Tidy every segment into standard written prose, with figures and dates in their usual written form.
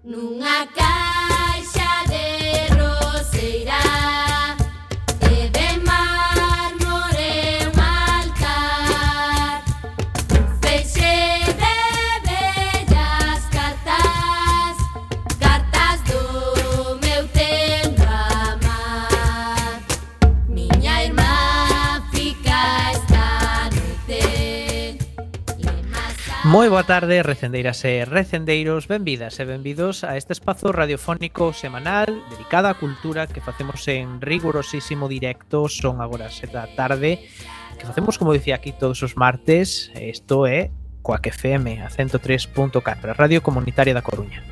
Nunha caixa de roseira e de mármore un altar, un feixe de bellas cartas, cartas do meu tempo a amar. Miña irmá fica esta noite. Moi boa tarde, recendeiras e recendeiros, benvidas e benvidos a este espazo radiofónico semanal dedicado á cultura que facemos en rigurosísimo directo. Son agora as 7 da tarde, que facemos, como dicía aquí, todos os martes. Isto é Coac FM, a 103.4, a Radio Comunitaria da Coruña.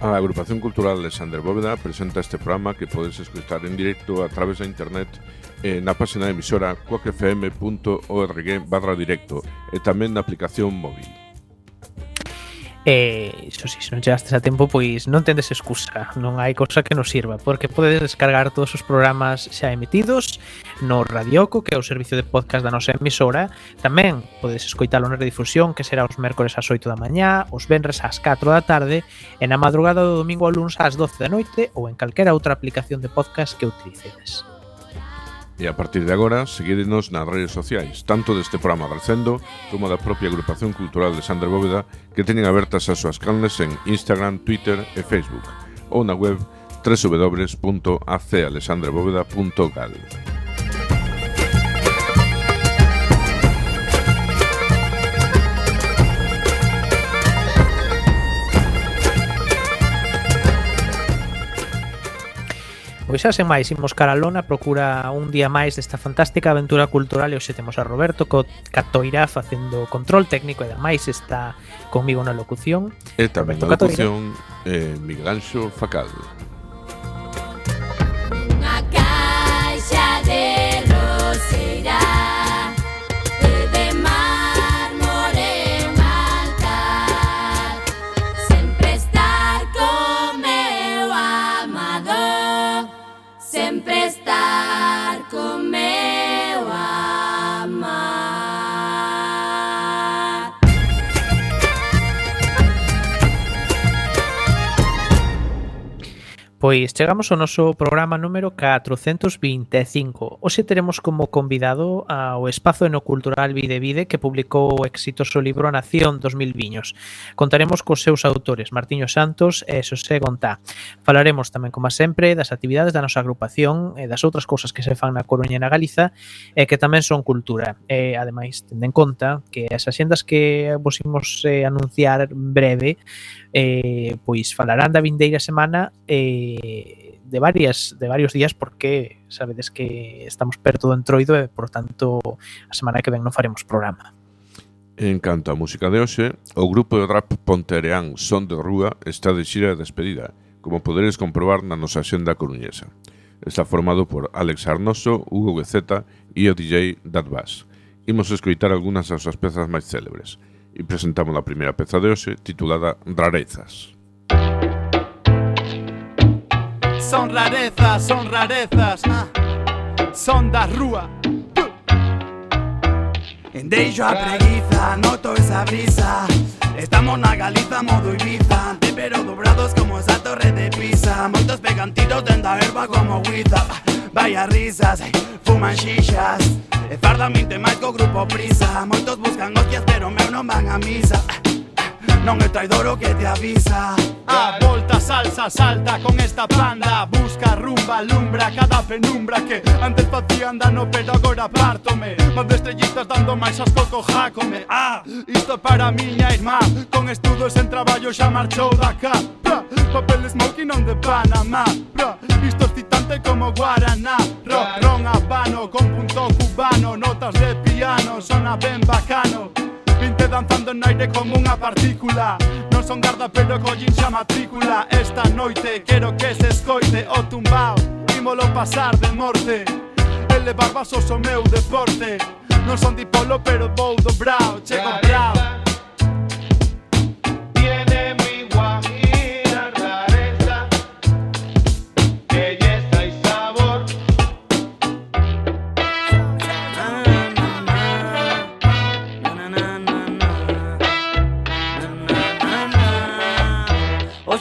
A Agrupación Cultural Alexandre Bóveda presenta este programa que podes escutar en directo a través da internet na página de emisora coacfm.org/directo e tamén na aplicación móvil. Iso si, se non chegastes a tempo, pois non tendes excusa, non hai cousa que nos sirva, porque podedes descargar todos os programas xa emitidos no Radioco, que é o servicio de podcast da nosa emisora. Tamén podedes escoitalo na redifusión, que será os mércores ás 8 da mañá, os venres ás 4 da tarde e na madrugada do domingo ao luns ás 12 da noite ou en calquera outra aplicación de podcast que utilicedes. E a partir de agora, seguídenos nas redes sociais, tanto deste programa Recendo como da propia Agrupación Cultural de Alexandre Bóveda, que teñen abertas as súas canles en Instagram, Twitter e Facebook, ou na web www.acalexandrebóveda.gal. Pois xa sen máis, imos cara a lona, procura un día máis desta fantástica aventura cultural e hoxe temos a Roberto Catoira facendo control técnico e ademais está comigo na locución. E tamén na locución Miguel Anxo Facal. Unha caixa de roseira e de mármore un altar, sempre estar con meu amado, sempre estar con meu amar. Pois chegamos ao noso programa número 425. Hoxe teremos como convidado ao espazo enocultural Vide que publicou o exitoso libro A Nación dos Mil Viños. Contaremos cos seus autores, Martiño Santos e Xosé Gontá. Falaremos tamén, como sempre, das actividades da nosa agrupación e das outras cousas que se fan na Coruña e na Galiza e que tamén son cultura. E, ademais, tendo en conta que as axendas que vos imos anunciar breve pois falarán da vindeira semana de varios días, porque sabedes que estamos perto do Entroido e, por tanto, a semana que ven non faremos programa. En canto á música de hoxe, o grupo de rap pontereán Son de Rúa está de xira de despedida, como poderes comprobar na nosa axenda coruñesa. Está formado por Alex Arnoso, Hugo Guezeta e o DJ Dat Bass. Imos escoitar algunhas das súas pezas máis célebres e presentamos a primeira peza de hoxe titulada Rarezas. Son rarezas, son da rúa. Deixo a preguiza, noto esa brisa. Estamos na Galiza, modo Ibiza, pero dobrados como esa torre de Pisa. Moitos pegan tiros dentro da herba como Huiza. Vaya risas, fuman xixas e fardamente máis co grupo Prisa. Moitos buscan hostias pero meu non van a misa. Non é traidor o que te avisa. A volta salsa, salta con esta banda. Busca rumba, alumbra cada penumbra que antes facían dano pero agora pártome. Más de estrellitas dando máis asco co jácome. Isto para miña irmá, con estudos en traballo xa marchou da cá. Papel smoking on de Panamá. Isto excitante como Guaraná. Rock, ron, habano, con punto cubano. Notas de piano, sona ben bacano. Vinte danzando no aire como unha partícula. Non son garda pero collín xa matrícula. Esta noite quero que se escoite o tumbao. Ímolo pasar de morte. Elevar vasos o meu deporte. Non son dipolo pero vou dobrao. Chego brao. Tiene mi guajira rareza, belleza y sabor.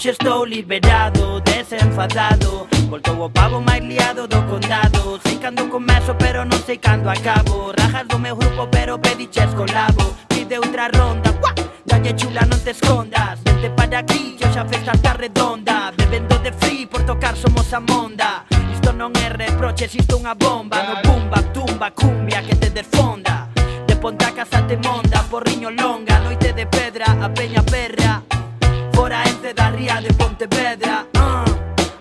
Hoxe estou liberado, desenfadado. Voltou o pavo máis liado do condado. Sei cando comezo pero non sei cando acabo. Rajas do meu grupo pero pediches colabo. Pide outra ronda, ¡guau! Dalle chula non te escondas. Vente para aquí, que hoxe a festa está redonda. Bebendo de free, por tocar somos a monda. Isto non é reproche, isto unha bomba. No bumba, tumba, cumbia que te desfonda. De Ponta a Casa te monda, porriño longa. Noite de pedra, a peña perra. Fora Ence da ría de Pontevedra.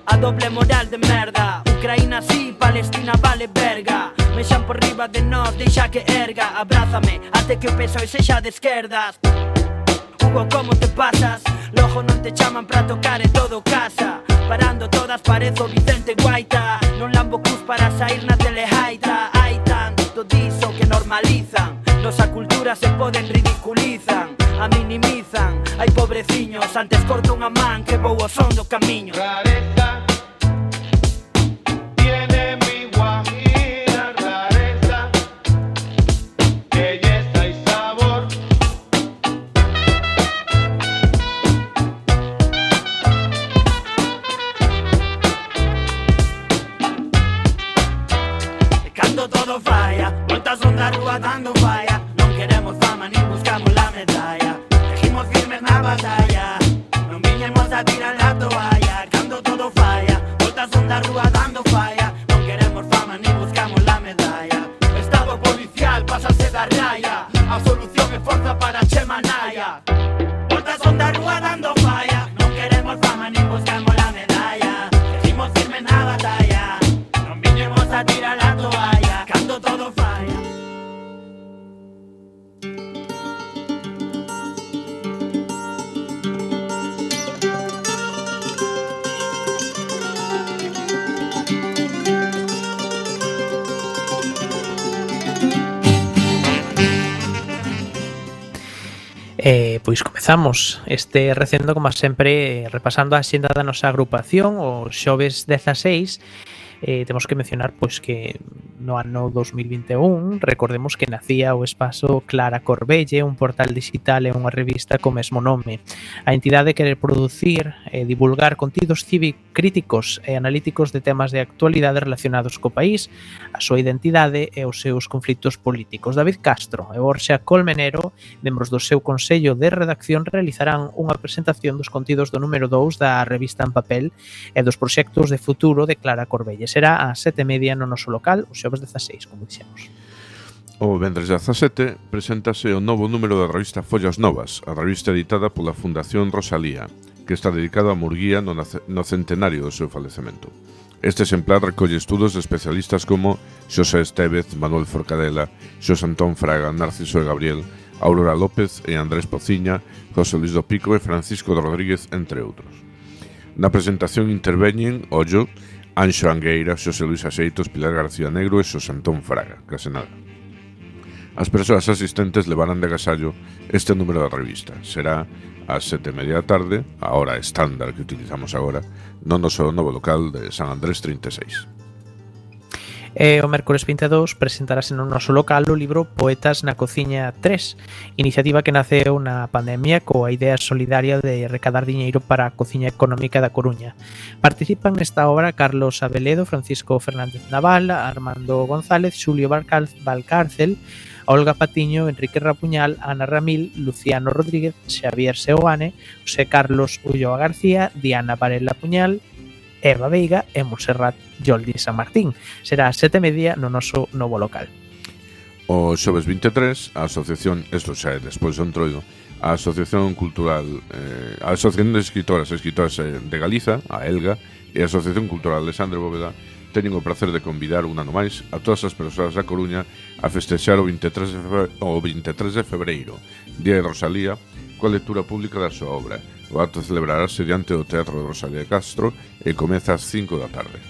A doble moral de merda. Ucraína sí, Palestina vale verga. Mexan por riba de nós, deixa que erga. Abrázame, até que o peso e sexa de esquerdas. Hugo, como te pasas? Logo non te chaman pra tocar e todo casa. Parando todas parezo Vicente Guaita. Non lambo cus para sair na telejaita. Hai tanto diso que normalizan. Nosa cultura se poden ridiculizan. A minimizan, hai pobreciños. Antes corto unha man que vou ao son do camiño. Rareza tiene mi guajira, rareza, belleza y sabor. E cando todo falla, voltas onda a rúa dando falla. Non queremos fama nin buscamos la medalla. Seguimos firmes na batalla. Non viñemos a tirar a toalla. Cando todo falla, voltas onda a rúa dando falla. Non queremos fama nin buscamos la medalla. Estado policial, pásase da raya. A solución é forza para Chema Naya. Voltas onda a rúa dando falla. Non queremos fama nin buscamos la medalla. Seguimos firmes na batalla. Non viñemos a tirar a toalla. Cando todo falla. Pois comezamos este recendo, como sempre, repasando a xenda da nosa agrupación. O xoves 16 temos que mencionar pois que no ano 2021 recordemos que nacía o espazo Clara Corbelle, un portal digital e unha revista co mesmo nome. A entidade quere producir e divulgar contidos críticos e analíticos de temas de actualidade relacionados co país, a súa identidade e os seus conflitos políticos. David Castro e Borxa Colmenero, membros do seu consello de redacción, realizarán unha presentación dos contidos do número 2 da revista en papel e dos proxectos de futuro de Clara Corbelle. Será ás 7:30 no noso local, o xoves 16, como dixemos. O vendres 17 preséntase o novo número da revista Follas Novas, a revista editada pola Fundación Rosalía, que está dedicada a Murguía no centenario do seu falecemento. Este exemplar recolle estudos de especialistas como Xosé Estévez, Manuel Forcadela, Xosé Antón Fraga, Narciso e Gabriel, Aurora López e Andrés Pociña, José Luis do Pico e Francisco Rodríguez, entre outros. Na presentación interveñen Ollo, Anxo Angueira, Xosé Luis Axeitos, Pilar García Negro e Xosé Antón Fraga, case nada. As persoas asistentes levarán de agasallo este número da revista. Será ás 7:30 da tarde, a hora estándar que utilizamos agora, no noso novo local de San Andrés 36. E o mércores 22 presentarase no noso local o libro Poetas na Cociña 3, iniciativa que naceu na pandemia coa idea solidaria de recadar diñeiro para a cociña económica da Coruña. Participan nesta obra Carlos Abeledo, Francisco Fernández Naval, Armando González, Xulio Valcárcel, Olga Patiño, Enrique Rapuñal, Ana Ramil, Luciano Rodríguez, Xavier Seoane, José Carlos Ulloa García, Diana Varela Puñal, Eva Veiga e Montserrat Joldi San Martín. Será ás 7:30 no noso novo local. O xoves 23, a asociación, isto xa é despois do entroido, a Asociación Cultural, a Asociación de Escritoras e Escritoras de Galiza, a ELGA, e a Asociación Cultural Alexandre Bóveda teñen o placer de convidar un ano máis a todas as persoas da Coruña a festexar o 23 de febreiro, Día de Rosalía, coa lectura pública da súa obra. O acto celebrarase diante do Teatro de Rosalía de Castro e comeza ás 5 da tarde.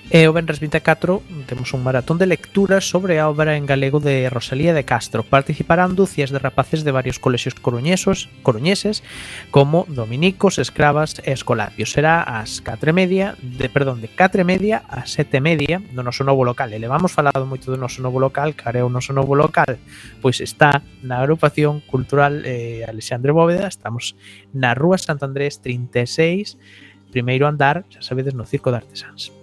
E o venres 24 temos un maratón de lecturas sobre a obra en galego de Rosalía de Castro. Participarán dúcias de rapaces de varios colexios coruñeses como dominicos, escravas e escolapios. Será ás 4:30, de 4:30 a 7:30 no noso novo local. E levamos falado moito do noso novo local, care o noso novo local, pois está na agrupación cultural Alexandre Bóveda. Estamos na Rúa Sant Andrés 36, primeiro andar, xa sabedes, no Circo de Artesáns.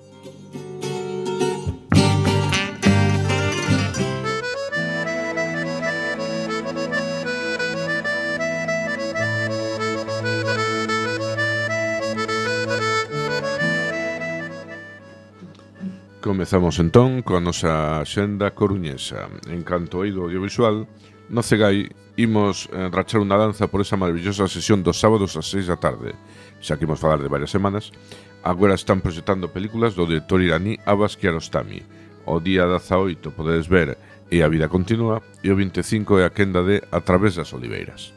Comezamos entón coa nosa xenda coruñesa. En canto ao eido audiovisual, no Cegai imos rachar unha danza por esa maravillosa sesión dos sábados ás 6 da tarde. Xa que imos falar de varias semanas, agora están proxectando películas do director iraní Abbas Kiarostami. O día 18 podedes ver E a vida continúa, e o 25 é a quenda de A través das oliveiras.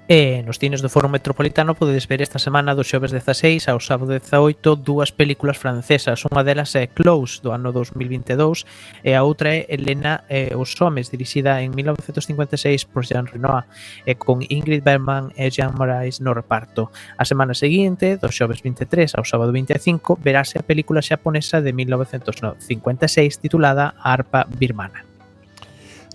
E nos cines do Foro Metropolitano podedes ver esta semana do xoves 16 ao sábado 18 dúas películas francesas. Unha delas é Close, do ano 2022, e a outra é Elena e os homes, dirixida en 1956 por Jean Renoir, e con Ingrid Bergman e Jean Moraes no reparto. A semana seguinte, do xoves 23 ao sábado 25, verase a película xaponesa de 1956 titulada A arpa birmana.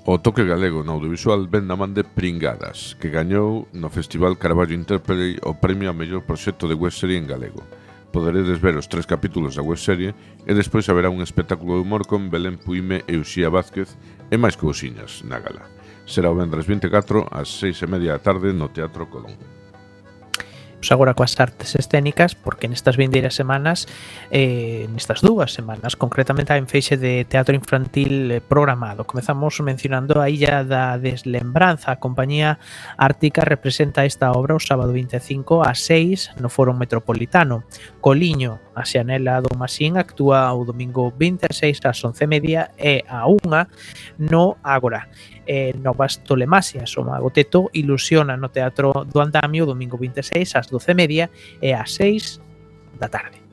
O toque galego no audiovisual ven na man de Pringadas, que gañou no Festival Carballo Interplay o premio a mellor proxecto de webserie en galego. Poderedes ver os 3 capítulos da webserie e despois haberá un espectáculo de humor con Belén Puime e Uxía Vázquez e máis cousiñas na gala. Será o vendres 24 ás 6:30 da tarde no Teatro Colón. Agora coas artes escénicas, porque nestas vindeiras semanas, nestas 2 semanas, concretamente hai un feixe de teatro infantil programado. Comezamos mencionando a Illa da Deslembranza. A compañía Ártica representa esta obra o sábado 25 ás 6 no Foro Metropolitano. Coliño, a Xanela do Masín, actúa o domingo 26 ás 11:30 e a 1 no Ágora. Novas Tolemasias, o Mago Teto, ilusiona no Teatro do Andamio o domingo 26 ás 12:30 e ás 6 da tarde.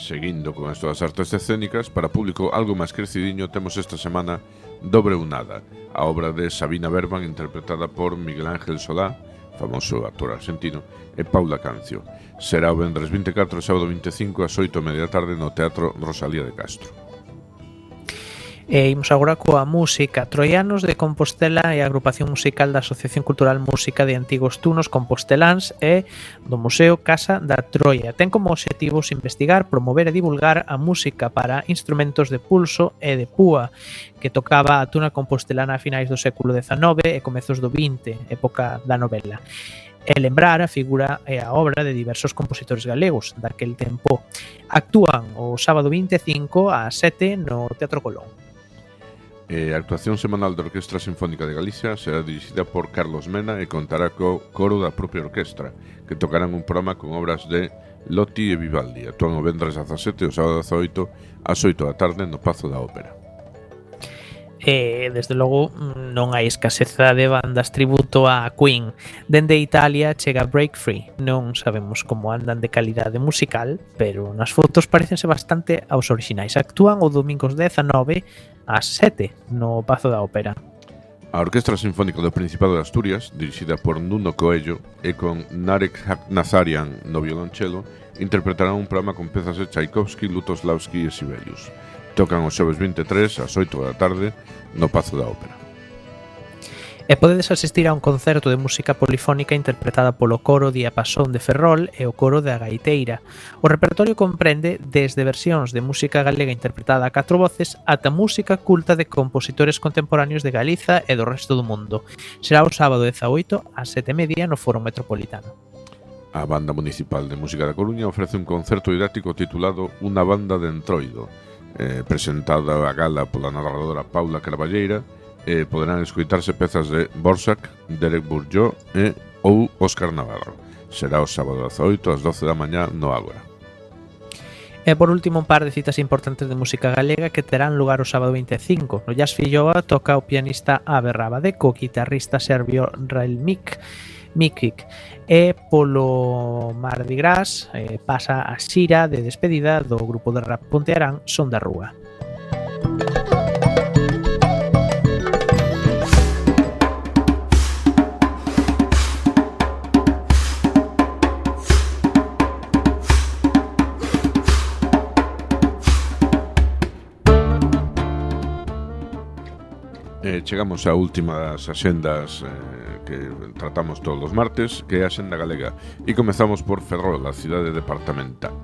Seguindo con as todas as artes escénicas, para público algo máis crecidiño temos esta semana Dobre Unada, a obra de Sabina Berman interpretada por Miguel Ángel Solá, famoso actor argentino, e Paula Cancio. Será o vendres 24 e sábado 25 ás 8:30 da tarde no Teatro Rosalía de Castro. E imos agora coa música. Troianos de Compostela e a agrupación musical da Asociación Cultural Música de Antigos Tunos Composteláns e do Museo Casa da Troia. Ten como obxectivos investigar, promover e divulgar a música para instrumentos de pulso e de púa que tocaba a tuna compostelana a finais do século XIX e comezos do XX, época da novela. E lembrar a figura e a obra de diversos compositores galegos daquel tempo. Actúan o sábado 25 ás 7 no Teatro Colón. A actuación semanal da Orquestra Sinfónica de Galicia será dirixida por Carlos Mena e contará co coro da propia orquestra, que tocarán un programa con obras de Lotti e Vivaldi. Actúan o vendres 17 e o sábado 18 ás 8 da tarde no Pazo da Ópera. Desde logo non hai escaseza de bandas tributo a Queen. Dende Italia chega Break Free. Non sabemos como andan de calidade musical, pero nas fotos parecense bastante aos orixinais. Actúan o domingos 19 ás 7 no Pazo da Ópera. A Orquestra Sinfónica do Principado de Asturias, dirixida por Nuno Coello e con Narek Nazarian no violonchelo, interpretarán un programa con pezas de Tchaikovsky, Lutoslavski e Sibelius. Tocan o xoves 23 ás 8 da tarde no Pazo da Ópera. E podedes asistir a un concerto de música polifónica interpretada polo coro Diapasón de Ferrol e o coro da Gaiteira. O repertorio comprende desde versións de música galega interpretada a 4 voces ata música culta de compositores contemporáneos de Galiza e do resto do mundo. Será o sábado 18 ás 7:30 no Foro Metropolitano. A Banda Municipal de Música da Coruña ofrece un concerto didáctico titulado Unha banda de entroido, presentada a gala pola narradora Paula Carballeira, e poderán escoitarse pezas de Borsak, Derek Bourgeois e ou Óscar Navarro. Será o sábado 18 ás 12 da mañá no Ágora. E por último, un par de citas importantes de música galega que terán lugar o sábado 25. No Jazz Filloa toca o pianista Abe Rábade co guitarrista serbio Railmik. Miquic. E polo Mardi Gras pasa a xira de despedida do grupo de rap pontearán Son da Rúa. Chegamos á última das axendas que tratamos todos os martes, que é a Axenda Galega, e comezamos por Ferrol, a cidade departamental.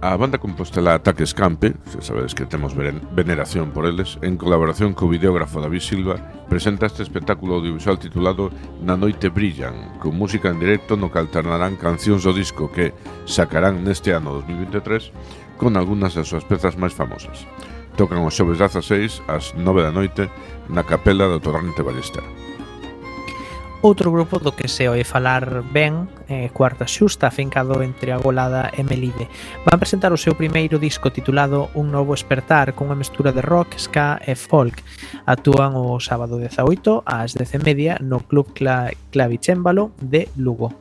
A banda compostelá Ataques Campe, se sabedes que temos veneración por eles, en colaboración co videógrafo David Silva, presenta este espectáculo audiovisual titulado Na Noite Brillan, con música en directo no que alternarán cancións do disco que sacarán neste ano 2023 con algunhas das súas pezas máis famosas. Tocan os xoves 16 ás 9 da noite na capela do Torrente Ballester. Outro grupo do que se oe falar ben, Cuarta Xusta, afincado entre Agolada e Melide, van presentar o seu primeiro disco titulado Un Novo Espertar, con unha mestura de rock, ska e folk. Actúan o sábado 18 ás 10:30 no Club Clavicémbalo de Lugo.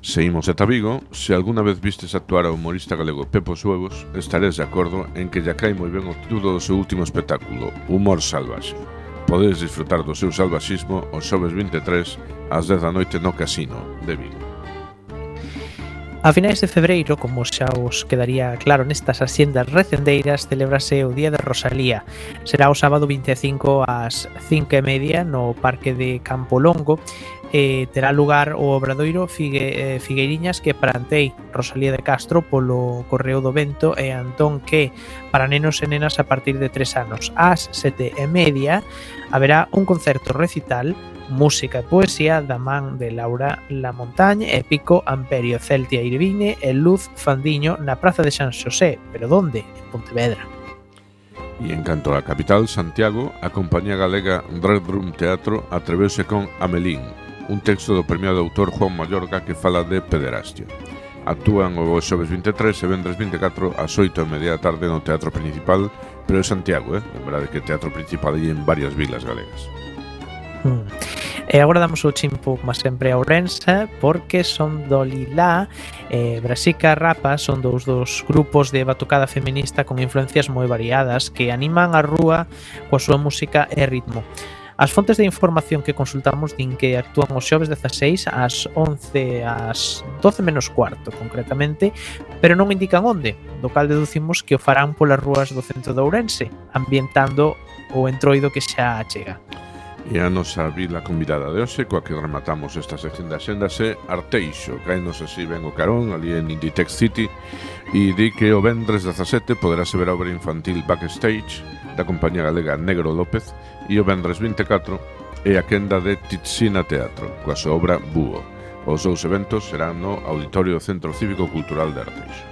Seguimos ata Vigo. Se alguna vez vistes actuar ao humorista galego Pepo Suevos, estaréis de acordo en que lle cae moi ben o título do seu último espectáculo, Humor Salvaxe. Podedes disfrutar do seu salvaxismo os xoves 23 ás 10 da noite no Casino de Vigo. A finais de febreiro, como xa os quedaría claro nestas axendas recendeiras, celebrase o Día de Rosalía. Será o sábado 25 ás 5:30 no Parque de Campo Longo. Terá lugar o obradoiro Figueiriñas que plantei Rosalía de Castro polo Correo do Vento e Antón que para nenos e nenas a partir de 3 anos. Ás 7:30 haberá un concerto recital, música e poesía da man de Laura Lamontagne e Pico Amperio, Celtia Irvine e Luz Fandiño na Praza de San Xosé. Pero onde? En Pontevedra. E en canto á capital, Santiago, a compañía galega Red Room Teatro atreveuse con Amelín, un texto do premiado autor Juan Mayorga que fala de pederastia. Actúan o xoves 23 e vendres 24 ás 8:30 da tarde no Teatro Principal, pero é Santiago, Lembrade que o Teatro Principal hai en varias vilas galegas. E agora damos o chimpo, como sempre, a Ourense, porque son do Lilá Brasica Rapa son dous dos grupos de batucada feminista con influencias moi variadas que animan a rúa coa súa música e ritmo. As fontes de información que consultamos din que actúan os xoves 16 ás 11 ás 12 menos cuarto, concretamente, pero non indican onde, do cal deducimos que o farán polas rúas do centro de Ourense, ambientando o entroido que xa chega. E a nosa vila convidada de hoxe, coa que rematamos esta sección de axendas, é Arteixo. Caenos así ben o carón, ali en Inditex City, e di que o vendres 17 poderase ver a obra infantil Backstage da compañía galega Negro López, e o vendres 24 é a quenda de Titzina Teatro, coa súa obra Búho. Os dous eventos serán no Auditorio do Centro Cívico Cultural de Arteixo.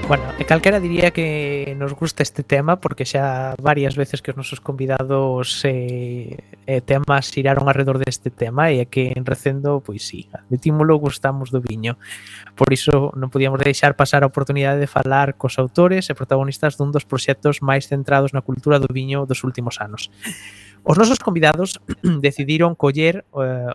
Bueno, e calquera diría que nos gusta este tema porque xa varias veces que os nosos convidados temas xiraron alrededor deste tema e é que en Recendo, pois sí, admitímolo, gustamos do viño. Por iso non podíamos deixar pasar a oportunidade de falar cos autores e protagonistas dun dos proxectos máis centrados na cultura do viño dos últimos anos. Os nosos convidados decidiron coller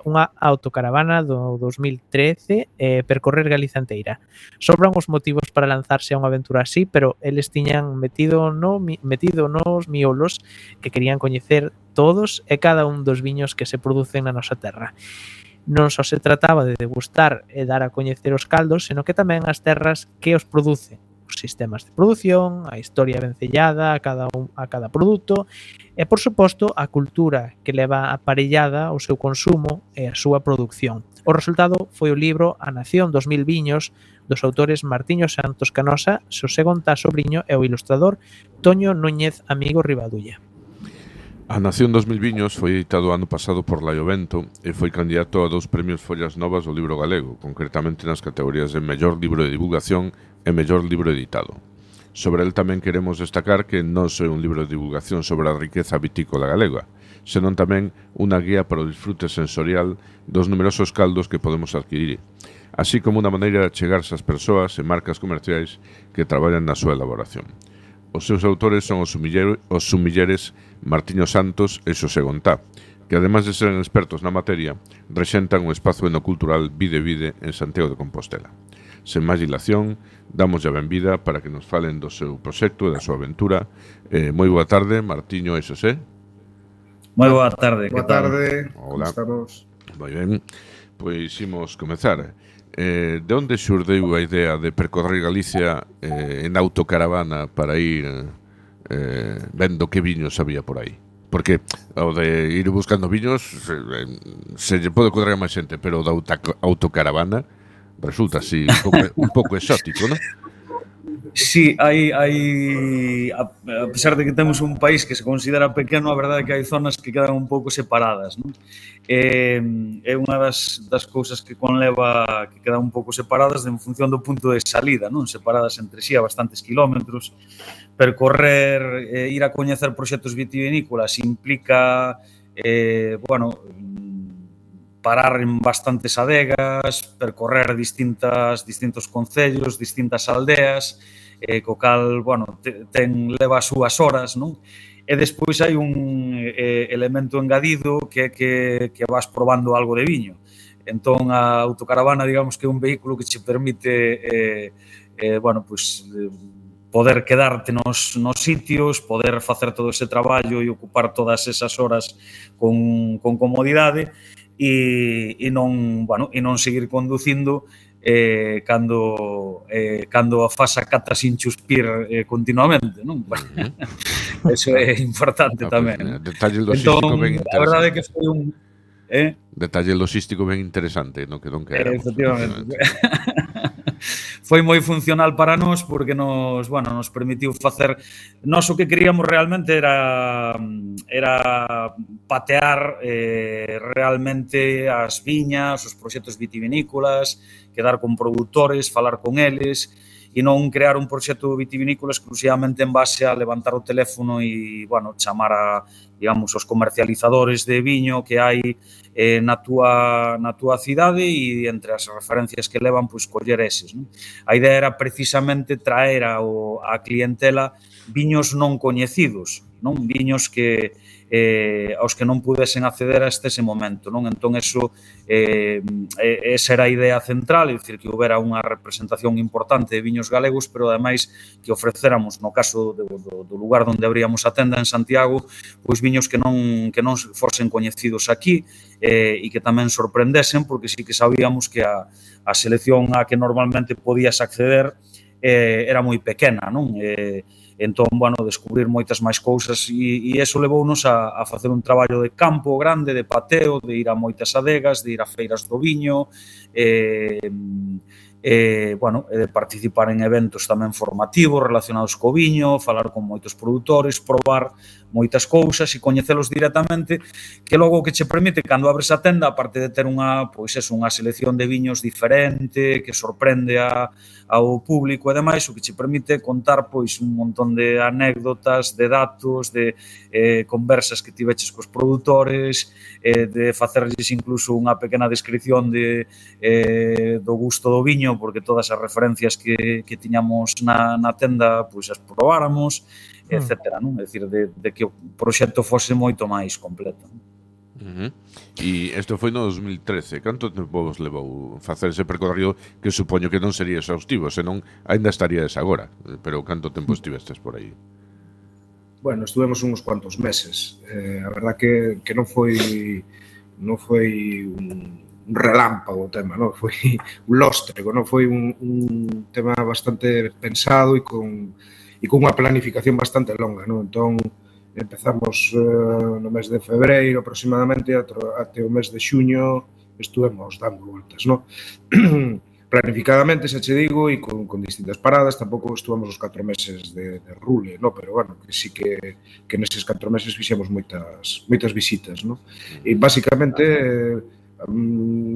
unha autocaravana do 2013 e percorrer Galiza enteira. Sobran os motivos para lanzarse a unha aventura así, pero eles tiñan metido nos miolos que querían coñecer todos e cada un dos viños que se producen na nosa terra. Non só se trataba de degustar e dar a coñecer os caldos, senón que tamén as terras que os producen, os sistemas de produción, a historia vencellada a cada produto e, por suposto, a cultura que leva aparellada o seu consumo e a súa produción. O resultado foi o libro A Nación dos Mil Viños dos autores Martiño Santos Canosa, Xosé Gontá Sobriño e o ilustrador Toño Núñez Amigo Rivadulla. A Nación dos Mil Viños foi editado ano pasado por Laiovento e foi candidato a 2 premios Follas Novas do libro galego, concretamente nas categorías de Mellor Libro de Divulgación e Mellor Libro Editado. Sobre el tamén queremos destacar que non é un libro de divulgación sobre a riqueza vitícola galega, senón tamén unha guía para o disfrute sensorial dos numerosos caldos que podemos adquirir. así como unha maneira de chegarse ás persoas e marcas comerciais que traballan na súa elaboración. Os seus autores son os sumilleres Martiño Santos e Xosé Gontá, que ademais de seren expertos na materia, rexentan o espazo enocultural Vide Vide en Santiago de Compostela. Sen máis dilación, damos a benvida para que nos falen do seu proxecto e da súa aventura. Moi boa tarde, Martiño e Xosé. Moi boa tarde. Boa tarde. Hola. Estamos. Moi ben, pois imos comezar. De onde xurdeu a idea de percorrer Galicia en autocaravana para ir vendo que viños había por aí? Porque o de ir buscando viños se lle pode ocurrir a máis xente, pero o da autocaravana resulta así un pouco exótico, non? Sí, a pesar de que temos un país que se considera pequeno, a verdade é que hai zonas que quedan un pouco separadas, non? É unha das cousas que conleva que quedan un pouco separadas en función do punto de salida, non? Separadas entre sí a bastantes kilómetros. Percorrer, ir a coñecer proxectos vitivinícolas implica, parar en bastantes adegas, percorrer distintos concellos, distintas aldeas, co cal, leva as súas horas, non? E despois hai un elemento engadido que vas probando algo de viño. Entón, a autocaravana, digamos que é un vehículo que che permite, poder quedarte nos sitios, poder facer todo ese traballo e ocupar todas esas horas con comodidade, e non seguir conducindo cando fas a cata sin chuspir continuamente, non? Eso é importante tamén. Detalle logístico ben interesante. A verdade é que foi un detalle logístico ben interesante, no que non queremos. Efectivamente. Foi moi funcional para nós porque nos permitiu facer. Nós o que queríamos realmente era patear realmente as viñas, os proxectos vitivinícolas, quedar con produtores, falar con eles e non crear un proxecto vitivinícola exclusivamente en base a levantar o teléfono e, chamar a, digamos, os comercializadores de viño que hai na túa cidade e entre as referencias que levan, pois, coller eses, non? A idea era precisamente traer a clientela viños non coñecidos, non? Viños que aos que non pudesen acceder hasta ese momento, non? Entón, esa era a idea central, é dicir, que houbera unha representación importante de viños galegos, pero ademais que ofrecéramos, no caso do lugar onde abríamos a tenda en Santiago, pois viños que non fosen coñecidos aquí e que tamén sorprendesen, porque sí que sabíamos que a selección a que normalmente podías acceder era moi pequena, non? Entón, descubrir moitas máis cousas e eso levounos a facer un traballo de campo grande, de pateo, de ir a moitas adegas, de ir a feiras do viño, de participar en eventos tamén formativos relacionados co viño, falar con moitos produtores, probar moitas cousas e coñecelos directamente, que logo o que che permite cando abres a tenda, aparte de ter unha selección de viños diferente, que sorprende ao público e demais, o que che permite contar pois un montón de anécdotas, de datos, de conversas que tiveches cos produtores, de facerlles incluso unha pequena descripción do gusto do viño, porque todas as referencias que tiñamos na tenda pois as probáramos, etcétera, non? É dicir, de que o proxecto fose moito máis completo. E isto foi no 2013. Canto tempo vos levou facer ese percorrido, que supoño que non sería exhaustivo, senón ainda estaríades agora, pero canto tempo estivestes por aí? Bueno, estuvemos uns cuantos meses. A verdad que non foi un relámpago o tema, non? Foi un lóstrego, non? Foi un tema bastante pensado e con unha planificación bastante longa, non? Entón, empezamos no mes de febreiro aproximadamente, até o mes de xuño estuvemos dando voltas, non? Planificadamente, xa che digo, e con distintas paradas, tampouco estuvemos os 4 meses de rule, non? Pero, que sí que neses 4 meses fixemos moitas visitas, non? E, basicamente,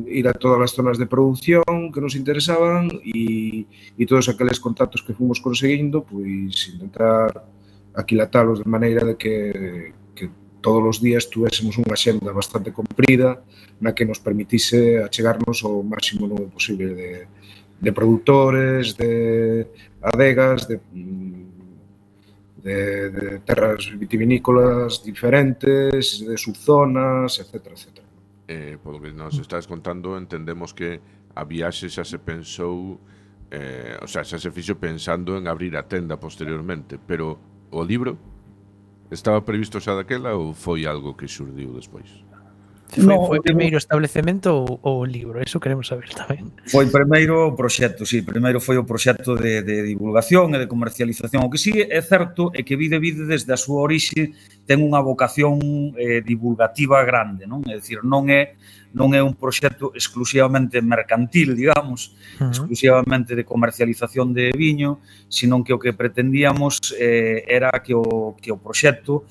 ir a todas as zonas de produción que nos interesaban e todos aqueles contactos que fomos conseguindo, pois intentar aquilatalos de maneira de que todos os días tuésemos unha xenda bastante comprida na que nos permitise achegarnos ao máximo número posible de produtores, de adegas, de terras vitivinícolas diferentes, de subzonas, etc. Polo que nos estás contando, entendemos que a viaxe xa se pensou, o sea, xa se fixo pensando en abrir a tenda posteriormente, pero o libro estaba previsto xa daquela ou foi algo que xurdiu despois? Foi primeiro o establecemento ou o libro? Eso queremos saber tamén. Foi primeiro o proxecto, sí, primeiro foi o proxecto de divulgación e de comercialización. O que sí é certo é que Vide desde a súa orixe ten unha vocación divulgativa grande, non? É dicir, non é un proxecto exclusivamente mercantil, digamos, exclusivamente de comercialización de viño, sino que o que pretendíamos era que o proxecto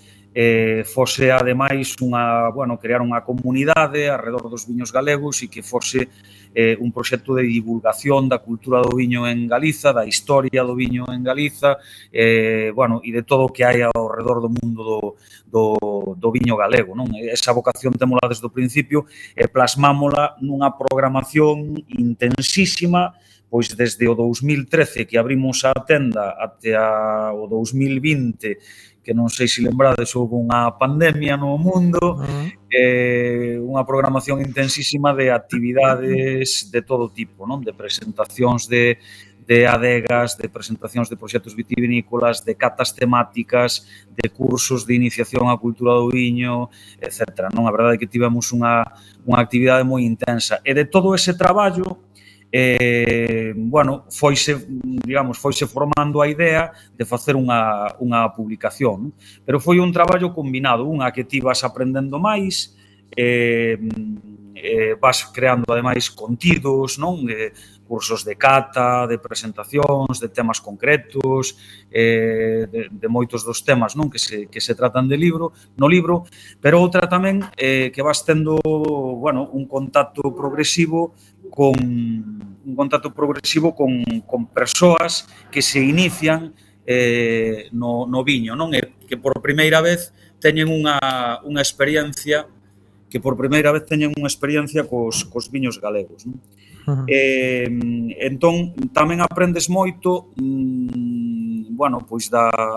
fose ademais crear unha comunidade alrededor dos viños galegos e que fose un proxecto de divulgación da cultura do viño en Galiza, da historia do viño en Galiza, e de todo o que hai ao redor do mundo do viño galego, non? Esa vocación témola desde o principio e plasmámola nunha programación intensísima, pois desde o 2013 que abrimos a tenda até o 2020, que non sei se lembrades, houve unha pandemia no mundo, unha programación intensísima de actividades de todo tipo, non? De presentacións de adegas, de presentacións de proxectos vitivinícolas, de catas temáticas, de cursos de iniciación á cultura do viño, etc. Non? A verdade é que tivemos unha actividade moi intensa. E de todo ese traballo, foise formando a idea de facer unha publicación, pero foi un traballo combinado, unha que ti vas aprendendo máis, vas creando ademais contidos, non? Cursos de cata, de presentacións, de temas concretos, de moitos dos temas, non? Que se tratan no libro, pero outra tamén que vas tendo, un contacto progresivo con persoas que se inician no viño, non? Que por primeira vez teñen unha experiencia cos viños galegos, non? Entón, tamén aprendes moito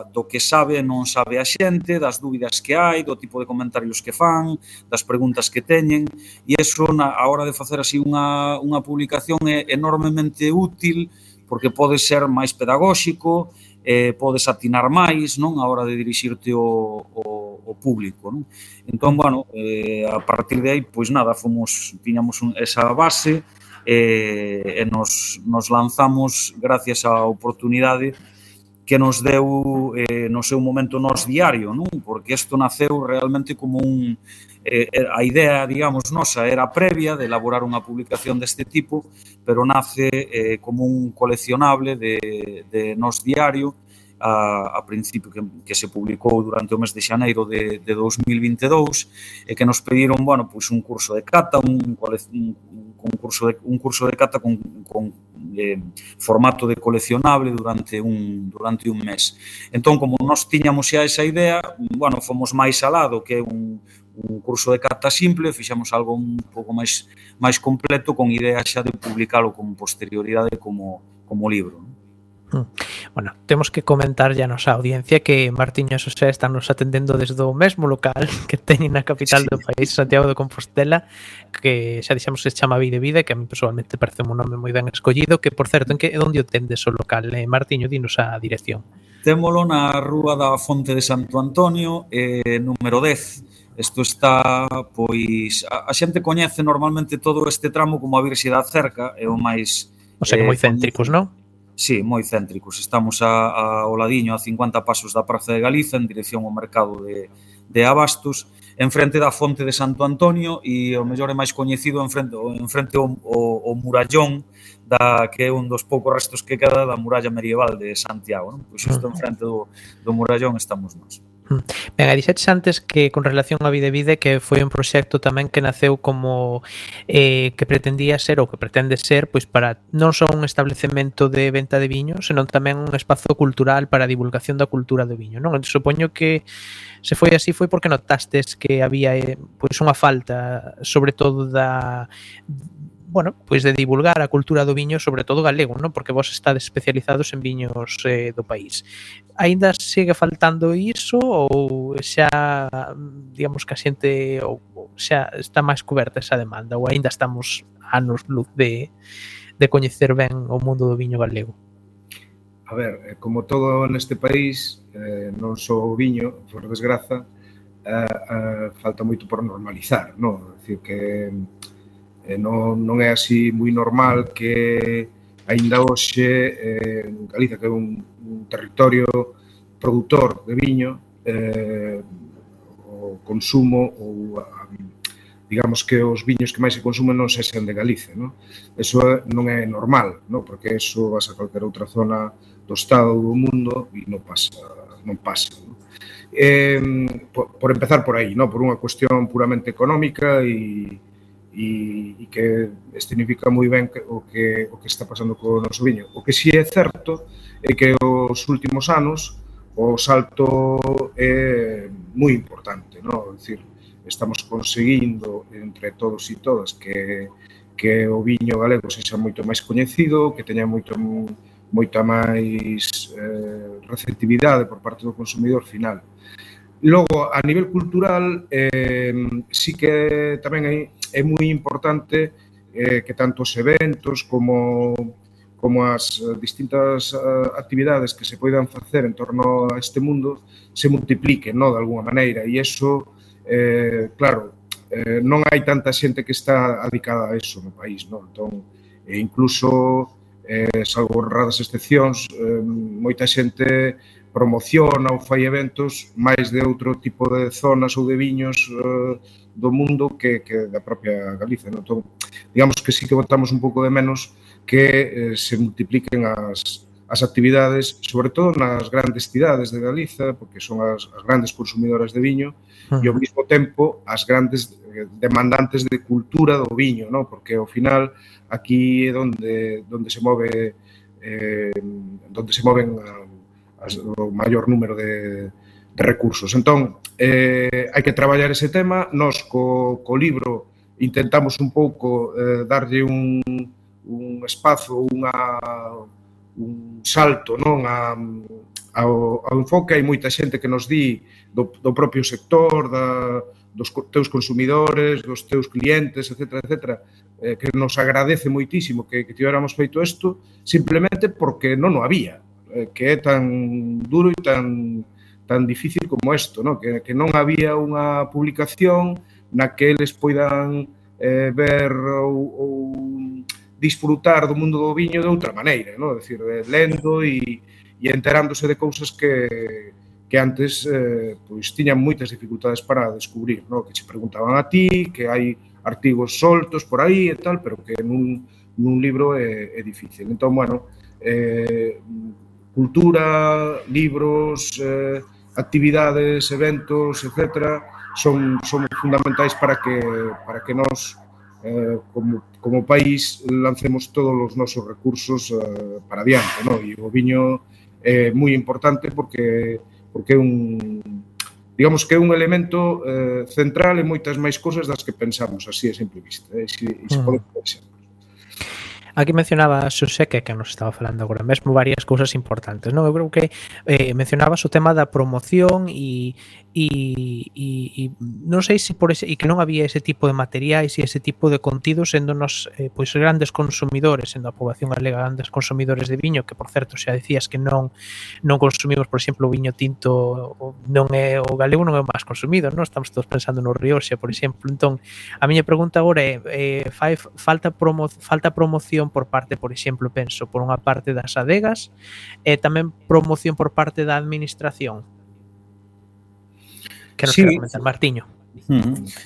do que sabe e non sabe a xente, das dúbidas que hai, do tipo de comentarios que fan, das preguntas que teñen, e iso, a hora de facer así unha publicación é enormemente útil, porque pode ser máis pedagóxico, podes atinar máis, non? A hora de dirixirte ao público, non? Entón, a partir de aí, tiñamos esa base, e nos lanzamos gracias á oportunidade que nos deu no seu momento Nós Diario, non? Porque isto naceu realmente como a idea, digamos, nosa era previa de elaborar unha publicación deste tipo, pero nace como un coleccionable de Nós Diario a principio que se publicou durante o mes de xaneiro de 2022 e que nos pediron, un curso de cata, un curso de cata con formato de coleccionable durante un mes. Entón, como nós tiñamos xa esa idea, fomos máis alado que un curso de cata simple, fixemos algo un pouco máis completo con idea xa de publicalo con posterioridade como libro. Bueno, temos que comentar ya a nosa audiencia que Martiño e Xosé están nos atendendo desde o mesmo local que teñen na capital do país, Santiago de Compostela, que xa dixemos que se chama Vide, que a mí personalmente parece un nome moi ben escollido, que por certo, onde o tendes o local? Martiño, dinos a dirección. Témolo na Rúa da Fonte de Santo Antonio, número 10. Isto está, a xente coñece normalmente todo este tramo como a Virxe da Cerca, é o máis... O sea, que moi céntricos, non? Sí, moi céntricos. Estamos ao ladiño, a 50 pasos da Praza de Galiza, en dirección ao mercado de Abastos, en frente da Fonte de Santo Antonio, e o mellor é máis coñecido en frente ao murallón, que é un dos poucos restos que queda da muralla medieval de Santiago, non? Pois isto en frente do murallón estamos nós. Ben, dixetes antes que con relación a Videvide que foi un proxecto tamén que naceu como que pretendía ser ou que pretende ser pois para non só un establecemento de venta de viño, senón tamén un espazo cultural para a divulgación da cultura do viño, non? Supoño que se foi así foi porque notastes que había pois unha falta, sobre todo bueno, pois de divulgar a cultura do viño, sobre todo galego, non? Porque vos estades especializados en viños do país. Aínda segue faltando iso ou xa, digamos que a xente ou xa está máis coberta esa demanda ou aínda estamos anos luz de coñecer ben o mundo do viño galego? A ver, como todo neste país, non só o viño, por desgraza, falta moito por normalizar, non? É dicir, que non é así moi normal que aínda hoxe en Galicia, que é un territorio produtor de viño, o consumo ou digamos que os viños que máis se consumen non sexan de Galicia, non? Eso non é normal, non? Porque eso vas a calquera outra zona do estado ou do mundo e non pasa, non? Por empezar por aí, non? Por unha cuestión puramente económica e que significa moi ben o que está pasando co noso viño. O que si é certo é que os últimos anos o salto é moi importante, non? É dicir, estamos conseguindo entre todos e todas que o viño galego sexa moito máis coñecido, que teña moita máis receptividade por parte do consumidor final. Logo, a nivel cultural, sí que tamén é moi importante que tanto os eventos como as distintas actividades que se poidan facer en torno a este mundo se multipliquen, non, de alguma maneira, e iso, claro, non hai tanta xente que está dedicada a eso no país, non? Entón, incluso, salvo raras excepcións, moita xente promociona ou fai eventos máis de outro tipo de zonas ou de viños do mundo que da propia Galicia, non? Entón, digamos que sí que botamos un pouco de menos que se multipliquen as actividades, sobre todo nas grandes cidades de Galiza, porque son as grandes consumidoras de viño, e ao mesmo tempo as grandes demandantes de cultura do viño, non? Porque ao final aquí é onde se move o maior número de recursos. Entón, hai que traballar ese tema. Nós co libro intentamos un pouco darlle un espazo, un salto, non, ao enfoque. Hai moita xente que nos di do propio sector, dos teus consumidores, dos teus clientes, etcétera, que nos agradece moitísimo que tivéramos feito isto simplemente porque non o había, que é tan duro e tan difícil como isto, non? Que non había unha publicación na que eles poidan ver ou disfrutar do mundo do viño de outra maneira, non? É dicir, lendo e enterándose de cousas que antes pois tiñan moitas dificultades para descubrir, non? Que che preguntaban a ti, que hai artigos soltos por aí e tal, pero que nun libro é difícil. Entón, bueno, cultura, libros, actividades, eventos, etcétera, son fundamentais para que nós como país lancemos todos os nosos recursos para adiante, non? E o viño é moi importante porque é digamos que é un elemento central en moitas máis cousas das que pensamos así a simple vista. Se pode pensar. Aquí mencionaba Xosé que nos estaba falando agora mesmo varias cousas importantes, non? Eu creo que mencionabas o tema da promoción e non sei se por ese, e que non había ese tipo de materiais e ese tipo de contidos sendo nos pois grandes consumidores, sendo a poboación galega grandes consumidores de viño, que por certo xa dicías que non consumimos, por exemplo, o viño tinto, non é o galego, non é o máis consumido, non? Estamos todos pensando no Rioxa, por exemplo. Entón, a miña pregunta agora é falta promoción por parte, por exemplo, penso, por unha parte das adegas e tamén promoción por parte da administración. Que nos quero comentar, Martiño?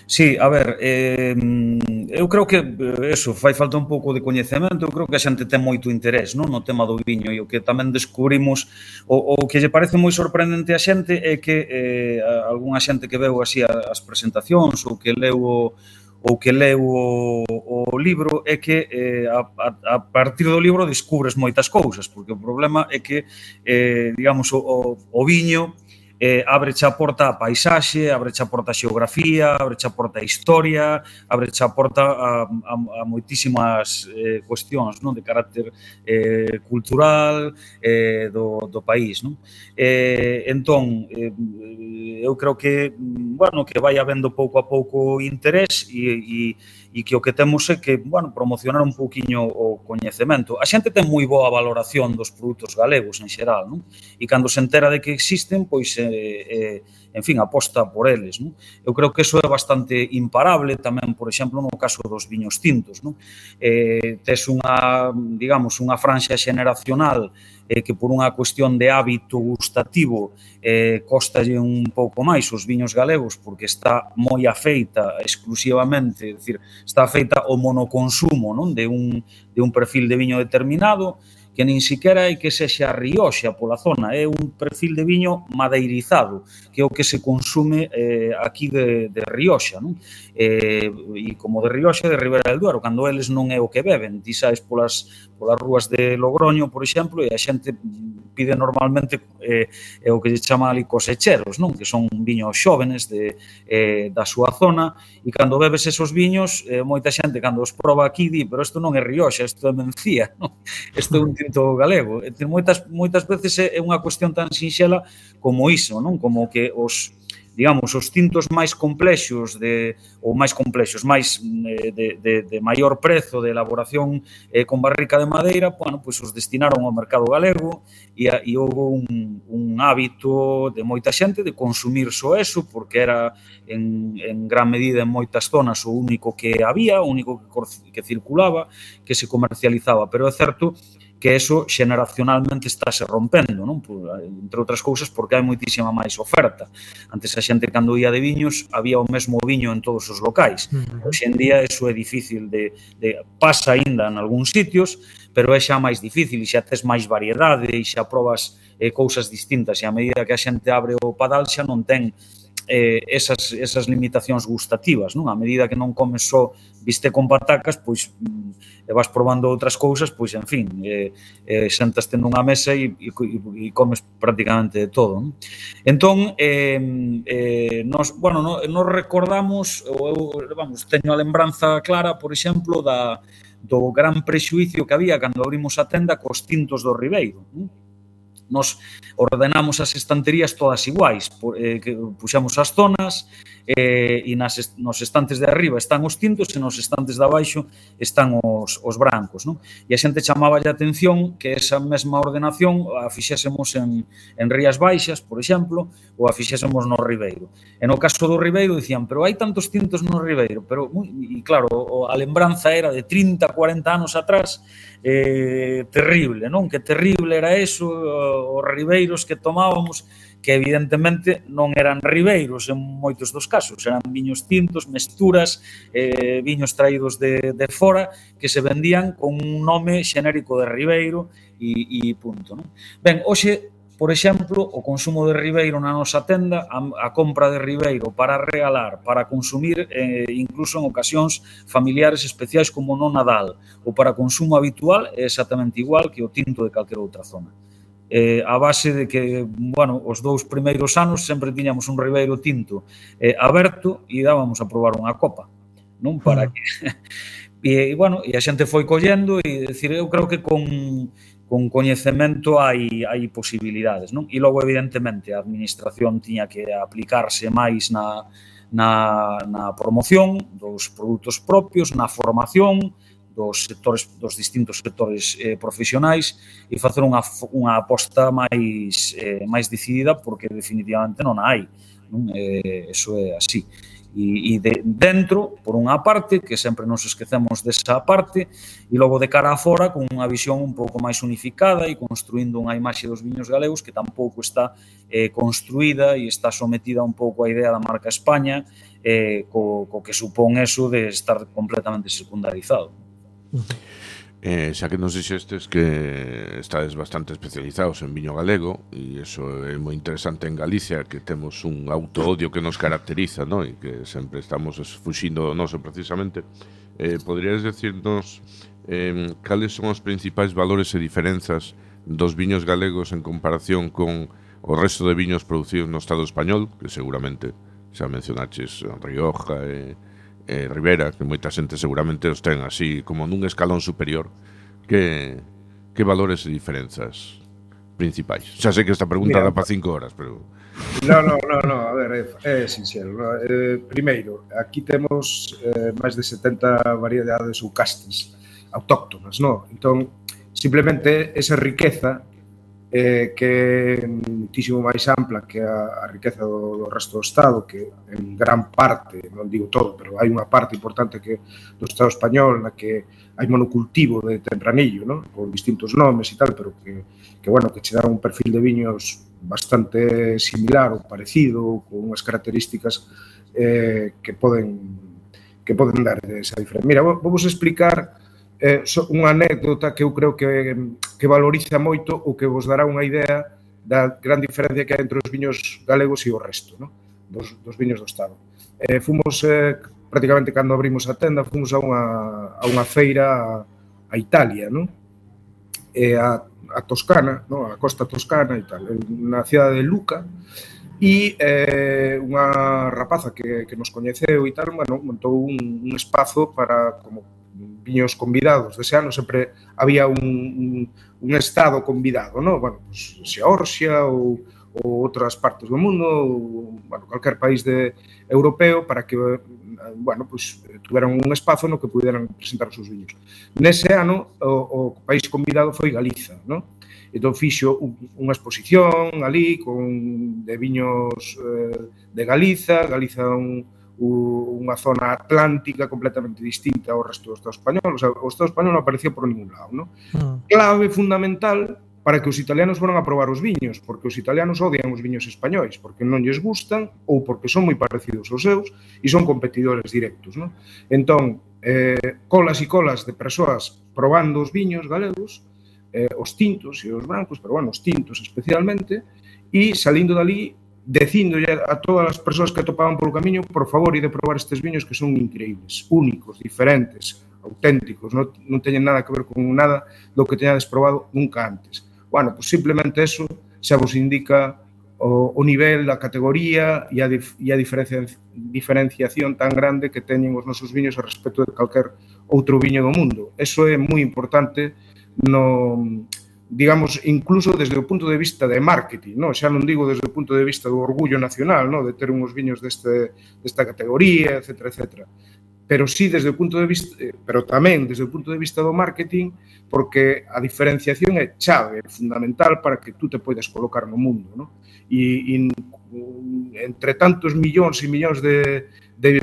Sí, a ver, eu creo que eso, fai falta un pouco de coñecemento, eu creo que a xente ten moito interés, non, no tema do viño, e o que tamén descubrimos, o que lle parece moi sorprendente a xente é que algunha xente que veu así as presentacións ou que leu o libro é que a partir do libro descubres moitas cousas, porque o problema é que, digamos, o viño abreche a porta a paisaxe, abreche a porta a xeografía, abreche a porta a historia, abreche a porta a moitísimas cuestións, non, de carácter cultural do país, non? Entón, eu creo que, bueno, que vai habendo pouco a pouco interés e que o que temos é que, bueno, promocionar un pouquiño o coñecemento. A xente ten moi boa valoración dos produtos galegos en xeral, non? E cando se entera de que existen, pois, en fin, aposta por eles, non? Eu creo que eso é bastante imparable tamén, por exemplo, no caso dos viños tintos, non? Tes unha, digamos, unha franxa xeneracional que por unha cuestión de hábito gustativo costalle un pouco máis os viños galegos porque está moi afeita exclusivamente, é dicir, está afeita ao monoconsumo, non, de un perfil de viño determinado que nin siquiera é que sexa Rioxa pola zona, é un perfil de viño madeirizado, que é o que se consume aquí de Rioxa, non? E como de Rioxa, de Ribera del Duero, cando eles non é o que beben, ti saes polas rúas de Logroño, por exemplo, e a xente pide normalmente o que se chama ali cosecheros, non? Que son viños xóvenes da súa zona, e cando bebes esos viños, moita xente cando os proba aquí di, pero isto non é Rioxa, isto é Mencía, non? Isto é un tinto galego. Moitas veces é unha cuestión tan sinxela como iso, non? Como que digamos, os tintos máis complexos de maior prezo de elaboración con barrica de madeira, bueno, pois os destinaron ao mercado galego e houve un hábito de moita xente de consumir só eso, porque era en gran medida en moitas zonas o único que había, o único que circulaba, que se comercializaba, pero é certo que eso xeneracionalmente estáse rompendo, non? Entre outras cousas porque hai moitísima máis oferta. Antes a xente cando ia de viños había o mesmo viño en todos os locais. Hoxe en día eso é difícil pasa aínda en algúns sitios, pero é xa máis difícil e xa tes máis variedade e xa probas cousas distintas e a medida que a xente abre o padal xa non ten esas limitacións gustativas, non? A medida que non comes só bistec con patacas, pois vas probando outras cousas, pois, en fin, sentaste nunha mesa e comes prácticamente de todo, non? Entón, nos recordamos, teño a lembranza clara, por exemplo, do gran prexuicio que había cando abrimos a tenda cos tintos do Ribeiro, non? Nos ordenamos as estanterías todas iguais, puxamos as zonas e nos estantes de arriba están os tintos e nos estantes de abaixo están os brancos, non? E a xente chamaba a atención que esa mesma ordenación a fixésemos en Rías Baixas, por exemplo, ou a fixésemos no Ribeiro. E no caso do Ribeiro dicían, pero hai tantos tintos no Ribeiro, e claro, a lembranza era de 30, 40 anos atrás, terrible, non? Que terrible era eso, os ribeiros que tomábamos, que evidentemente non eran ribeiros en moitos dos casos, eran viños tintos, mesturas, viños traídos de fora, que se vendían con un nome xenérico de ribeiro e punto, non? Ben, hoxe, por exemplo, o consumo de ribeiro na nosa tenda, a compra de ribeiro para regalar, para consumir, incluso en ocasións familiares especiais como no Nadal, ou para consumo habitual, é exactamente igual que o tinto de calquera outra zona. A base de que, bueno, os 2 primeiros anos sempre tiñamos un ribeiro tinto aberto e dábamos a probar unha copa, non? Para que... E, bueno, e a xente foi collendo e, decir, eu creo que con coñecemento hai posibilidades, non? E logo, evidentemente, a administración tiña que aplicarse máis na promoción dos produtos propios, na formación dos distintos sectores profesionais e facer unha aposta máis decidida, porque definitivamente non hai, non? Eso é así. E dentro, por unha parte, que sempre nos esquecemos desa parte, e logo de cara a fora, con unha visión un pouco máis unificada e construindo unha imaxe dos viños galegos que tampouco está construída e está sometida un pouco á idea da marca España, co que supón eso de estar completamente secundarizado. Xa que nos dixestes que estades bastante especializados en viño galego, e iso é moi interesante en Galicia, que temos un auto-odio que nos caracteriza, no? E que sempre estamos fuxindo do noso precisamente. Poderías decirnos cales son os principais valores e diferenzas dos viños galegos en comparación con o resto de viños producidos no Estado español, que seguramente xa mencionaches Rioja e Ribera, que moita xente seguramente os ten así como nun escalón superior. Que valores e diferenzas principais? Xa sei que esta pregunta dá para 5 horas, pero... No, a ver, é sinxelo. Primeiro, aquí temos máis de 70 variedades ou castes autóctonas, non? Entón, simplemente esa riqueza que é muitísimo máis ampla que a riqueza do resto do Estado, que en gran parte, non digo todo, pero hai unha parte importante que do Estado español na que hai monocultivo de tempranillo, non? Con distintos nomes e tal, pero que bueno, que che dá un perfil de viños bastante similar ou parecido, con unhas características que poden dar esa diferencia. Mira, vamos explicar unha anécdota que eu creo que valoriza moito ou que vos dará unha idea da gran diferencia que hai entre os viños galegos e o resto, non? Dos viños do Estado. Fomos, prácticamente cando abrimos a tenda, fomos a unha feira a Italia, non? A Toscana, non? A costa toscana e tal, na cidade de Lucca, e unha rapaza que nos coñeceu e tal, bueno, montou un espazo para, como viños convidados dese ano, sempre había un estado convidado, non? Bueno, pues, Xeorxia ou outras partes do mundo, ou, bueno, calquer país europeo, para que, bueno, pues, tuveran un espazo no que puderan presentar os seus viños. Nese ano, o país convidado foi Galiza, non? Entón fixo unha exposición ali de viños de Galiza unha zona atlántica completamente distinta ao resto do Estado español. O sea, o Estado español non aparecía por ningún lado, non? Clave fundamental para que os italianos foran a probar os viños, porque os italianos odian os viños españois, porque non lles gustan ou porque son moi parecidos aos seus e son competidores directos, non? Entón, colas e colas de persoas probando os viños galegos, os tintos e os brancos, pero bueno, os tintos especialmente, e salindo dali dicindo a todas as persoas que atopaban polo camiño, por favor, ide probar estes viños que son increíbles, únicos, diferentes, auténticos, non teñen nada que ver con nada do que teñades probado nunca antes. Bueno, pues simplemente eso xa vos indica o nivel, a categoría e a diferenciación tan grande que teñen os nosos viños a respecto de calquer outro viño do mundo. Eso é moi importante digamos, incluso desde o punto de vista de marketing, non? Xa non digo desde o punto de vista do orgullo nacional, non? De ter uns viños desta categoría, etcétera, etcétera. Pero sí desde o punto de vista, pero tamén desde o punto de vista do marketing, porque a diferenciación é chave, é fundamental para que tú te poidas colocar no mundo, non? E entre tantos millóns e millóns de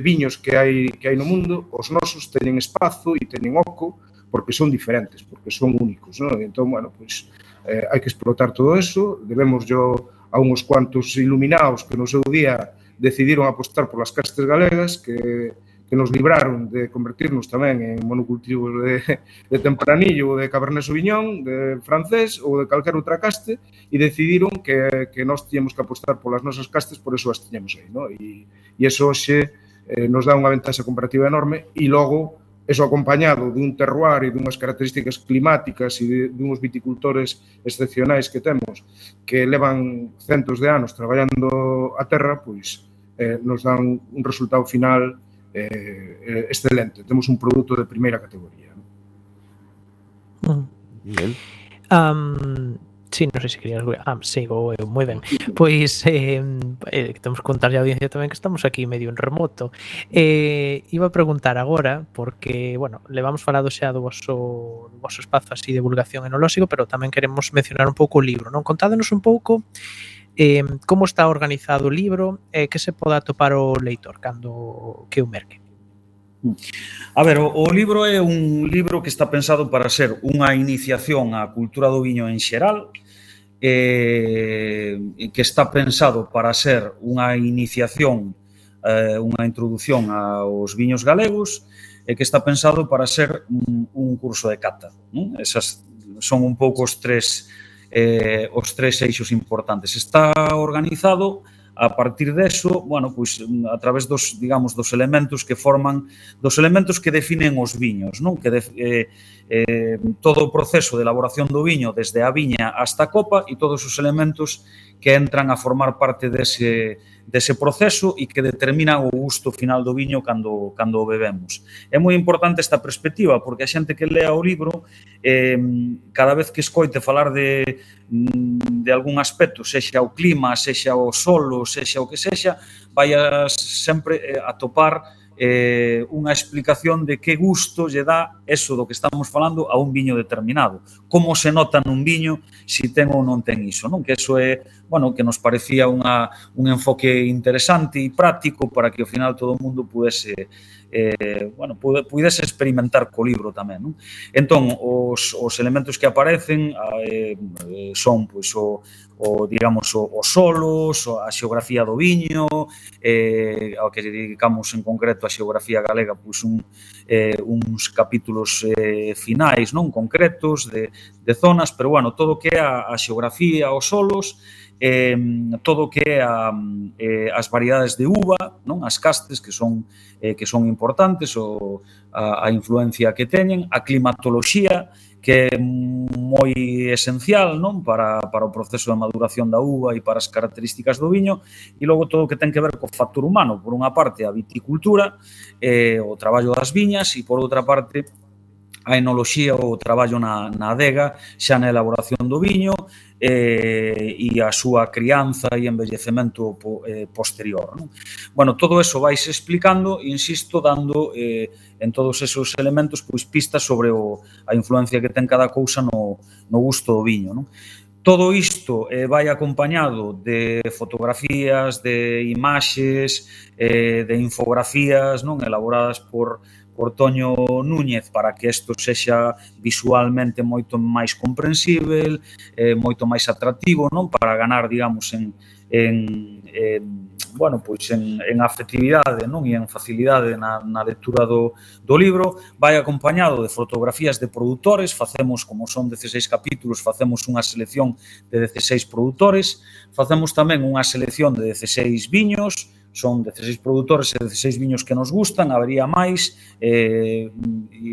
viños que hai no mundo, os nosos teñen espazo e teñen oco, porque son diferentes, porque son únicos, non? Entón, bueno, pois hai que explotar todo eso, debemos a uns cuantos iluminados que no seu día decidiron apostar polas castes galegas, que nos libraron de convertirnos tamén en monocultivos de tempranillo ou de Cabernet Sauvignon, de francés ou de calquer outra caste, e decidiron que nós tiñamos que apostar polas nosas castes, por eso as tiñamos aí, non? E iso hoxe nos dá unha ventaxa comparativa enorme, e logo eso acompañado dun terroir e dunhas características climáticas e dunhos viticultores excepcionais que temos, que levan centos de anos traballando a terra, pois nos dan un resultado final excelente. Temos un produto de primeira categoría. Bien. Se Sí, non sei se querías... sigo eu, moi ben. Pois, temos que contar a audiencia tamén que estamos aquí medio en remoto. Iba a preguntar agora, porque, bueno, levamos falado xa do voso espazo así de divulgación enolóxico, pero tamén queremos mencionar un pouco o libro, non? Contádenos un pouco como está organizado o libro e que se pode atopar o leitor cando que o merque. A ver, o libro é un libro que está pensado para ser unha iniciación á cultura do viño en xeral, que está pensado para ser unha iniciación, unha introdución aos viños galegos, e que está pensado para ser un curso de cata, non? Esas son un pouco os tres eixos importantes. Está organizado a partir deso, bueno, pois a través dos, digamos, dos elementos que forman, dos elementos que definen os viños, non? Que todo o proceso de elaboración do viño desde a viña hasta a copa e todos os elementos que entran a formar parte dese proceso e que determinan o gusto final do viño cando o bebemos. É moi importante esta perspectiva, porque a xente que lea o libro, cada vez que escoite falar de algún aspecto, sexa o clima, sexa o solo, sexa o que sexa, vai sempre a topar unha explicación de que gusto lle dá eso do que estamos falando a un viño determinado. Como se nota nun viño se ten ou non ten iso, non? Que eso é, bueno, que nos parecía un enfoque interesante e práctico para que ao final todo o mundo pudese experimentar co libro tamén, non? Entón, os elementos que aparecen son, pois, digamos, os solos, a xeografía do viño, ao que dedicamos en concreto a xeografía galega, pois uns capítulos finais, non concretos de zonas, pero bueno, todo o que é a xeografía, os solos, todo o que é as variedades de uva, non? As castes que son importantes, a influencia que teñen, a climatoloxía, que é moi esencial, non? Para o proceso de maduración da uva e para as características do viño, e logo todo o que ten que ver co factor humano, por unha parte a viticultura, o traballo das viñas, e por outra parte a enoloxía, o traballo na adega, xa na elaboración do viño, e a súa crianza e envellecemento posterior, non? Bueno, todo eso vais explicando, insisto, dando en todos esos elementos pois pistas sobre a influencia que ten cada cousa no gusto do viño, non? Todo isto vai acompañado de fotografías, de imaxes, de infografías, non? Elaboradas por Toño Núñez para que isto sexa visualmente moito máis comprensível, moito máis atractivo, non? Para ganar, digamos, en afectividade, non? E en facilidade na lectura do libro. Vai acompañado de fotografías de produtores, facemos, como son 16 capítulos, facemos unha selección de 16 produtores, facemos tamén unha selección de 16 viños, son 16 produtores e 16 viños que nos gustan, habería máis, e,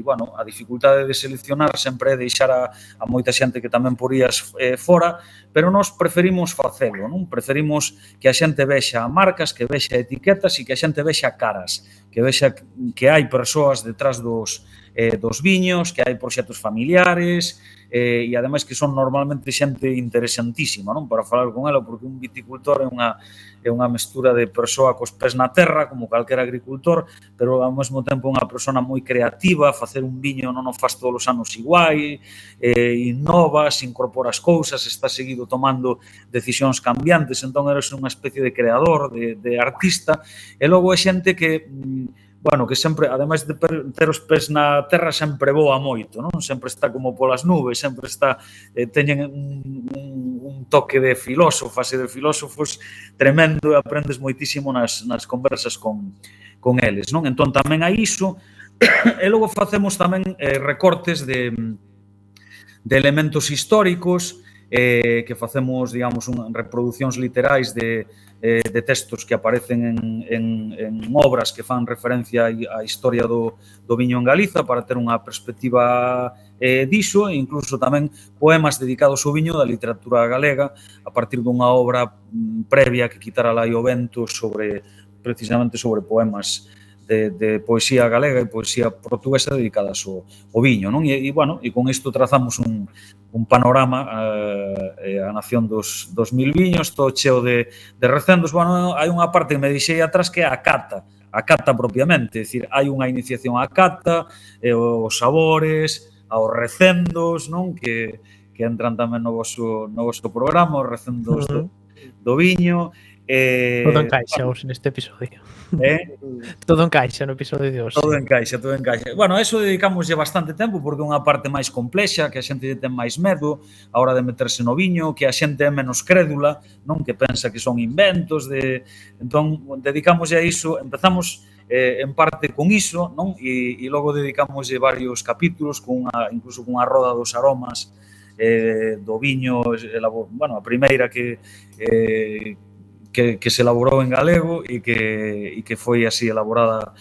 bueno, a dificultade de seleccionar sempre é deixar a moita xente que tamén porías fora, pero nós preferimos facelo, non? Preferimos que a xente vexa marcas, que vexa etiquetas e que a xente vexa caras, que vexa que hai persoas detrás dos viños, que hai proxectos familiares, e ademais que son normalmente xente interesantísima, non? Para falar con ela, porque un viticultor é unha mestura de persoa cos pés na terra, como calquera agricultor, pero ao mesmo tempo unha persona moi creativa, facer un viño non o faz todos os anos igual, innovas, incorporas cousas, está seguido tomando decisións cambiantes, entón eres unha especie de creador, de artista, e logo é xente que bueno, que sempre, ademais de ter os pés na terra, sempre voa moito, non? Sempre está como polas nubes, sempre está, teñen un toque de filósofas e de filósofos tremendo, e aprendes moitísimo nas conversas con eles, non? Entón tamén hai iso, e logo facemos tamén recortes de elementos históricos, que facemos, digamos, reproducións literais de textos que aparecen en obras que fan referencia á historia do viño en Galiza para ter unha perspectiva diso, e incluso tamén poemas dedicados ao viño da literatura galega a partir dunha obra previa que quitara lá o vento precisamente sobre poemas de poesía galega e poesía portuguesa dedicadas ao viño, non? E bueno, e con isto trazamos un panorama a nación dos 2000 viños, todo cheo de recendos. Bueno, hai unha parte que me deixei atrás que é a cata propiamente, é dicir, hai unha iniciación á cata, os sabores, aos recendos, non? Que entran tamén no vosso programa, os recendos do viño. Todo encaixa hoxe neste episodio. Todo encaixa no episodio de hoxe. Todo encaixa. Bueno, a eso dedicámoslle bastante tempo porque é unha parte máis complexa, que a xente ten máis medo a hora de meterse no viño, que a xente é menos crédula, non, que pensa que son inventos entón dedicámoslle a iso, empezamos en parte con iso, non? E logo dedicámoslle varios capítulos incluso con a roda dos aromas do viño, bueno, a primeira que se elaborou en galego e que foi así elaborada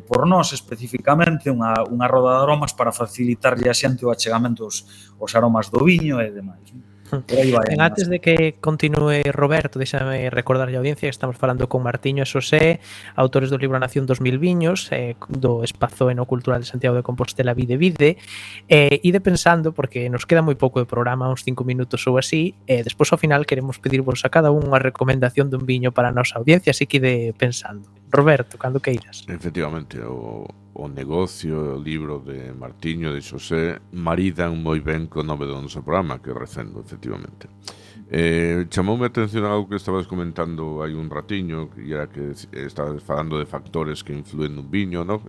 por nós especificamente, unha roda de aromas para facilitarlle a xente o achegamento aos aromas do viño e demais. Antes de que continúe Roberto, déxame recordar a audiencia que estamos falando con Martiño e Xosé, autores do libro A Nación 2000 viños, do Espazo Enocultural de Santiago de Compostela Vide, ide pensando, porque nos queda moi pouco de programa, uns 5 minutos ou así, despois ao final queremos pedirvos a cada unha recomendación dun viño para a nosa audiencia, así que ide pensando. Roberto, cando queiras. Efectivamente, o negocio, o libro de Martiño, de Xosé, maridan moi ben co nome do noso programa, que recendo, efectivamente. Chamoume a atención algo que estabas comentando hai un ratiño, que era que estabas falando de factores que influen nun viño, ¿no?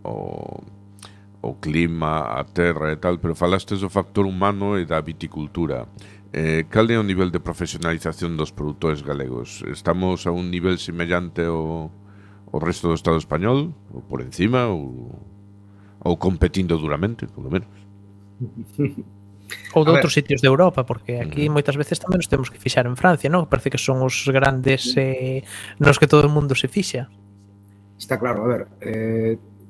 O clima, a terra e tal, pero falastes do factor humano e da viticultura. Cal é o nivel de profesionalización dos produtores galegos? Estamos a un nivel semellante ao resto do Estado español? Ou por encima? Ou competindo duramente, polo menos? Ou de outros sitios de Europa, porque aquí moitas veces tamén nos temos que fixar en Francia, non? Parece que son os grandes nos que todo o mundo se fixa. Está claro, a ver,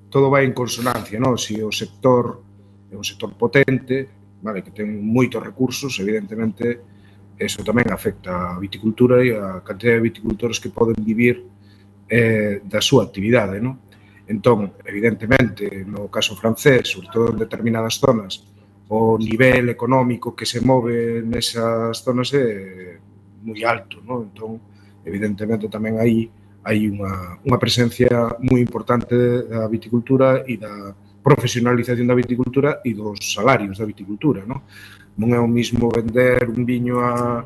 todo vai en consonancia, non? Se o sector é un sector potente, vale, que ten moitos recursos, evidentemente, eso tamén afecta a viticultura e a cantidad de viticultores que poden vivir da súa actividade, non? Entón, evidentemente, no caso francés, sobre todo en determinadas zonas, o nivel económico que se move nesas zonas é moi alto, non? Entón, evidentemente, tamén aí hai unha presencia moi importante da viticultura e da profesionalización da viticultura e dos salarios da viticultura, non? Non é o mismo vender un viño a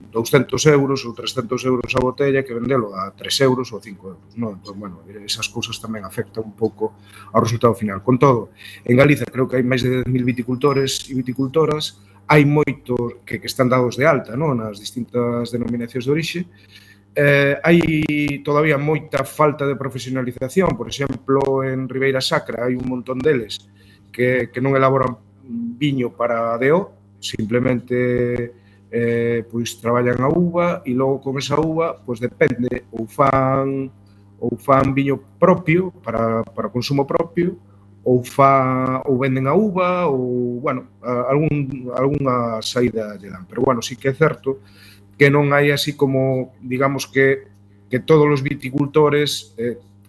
200 euros ou 300 euros a botella que vendelo a 3 euros ou 5 euros, non? Entón, bueno, esas cousas tamén afectan un pouco ao resultado final. Con todo, en Galiza creo que hai máis de 10.000 viticultores e viticultoras, hai moitos que están dados de alta, non? Nas distintas denominacións de orixe. Hai todavía moita falta de profesionalización, por exemplo, en Ribeira Sacra hai un montón deles que non elaboran viño para DO, simplemente pois traballan a uva e logo con esa uva, pois depende, ou fan viño propio para consumo propio, ou venden a uva, ou, bueno, algunha saída lle dan. Pero, bueno, sí que é certo que non hai así como, digamos que todos os viticultores